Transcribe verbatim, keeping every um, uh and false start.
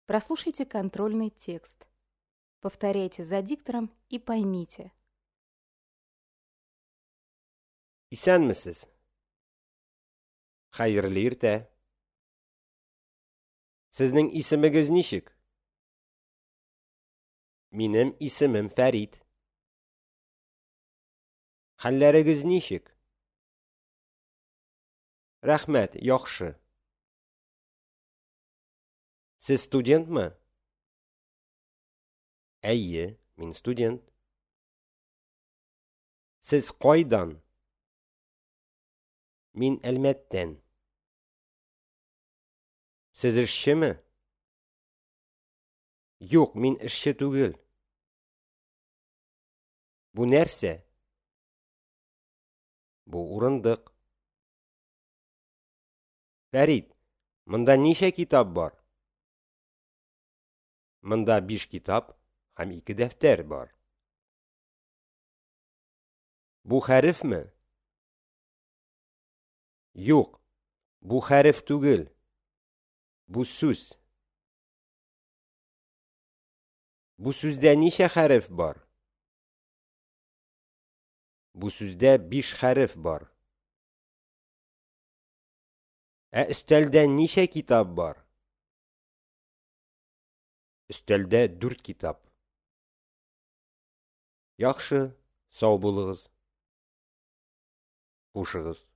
Прослушайте контрольный текст. Повторяйте за диктором и поймите. Исәнмесез. Хәерле иртә. Сезнең исемегез ничек? Минем исемем Фәрит. Хәлләрегез ничек? Рәхмәт, яхшы. Сез студентмы? Әйе, мин студент. Сез кайдан? Мин Әлмәттән. Сез эшчеме? Юк, мин эшче түгел. Бу нәрсә? Бу урындык. Фәрит, монда ничә китап бар? Монда биш китап һәм ике дәфтәр бар. Бу хәрефме? Юк, бу хәреф түгел. Бу сүз. Бу сүздә ничә хәреф бар? Бу сүздә биш хәреф бар. Ә өстәлдә ничә китап бар? Өстәлдә дүрт китап. Яхшы, сау булыгыз. Хушыгыз.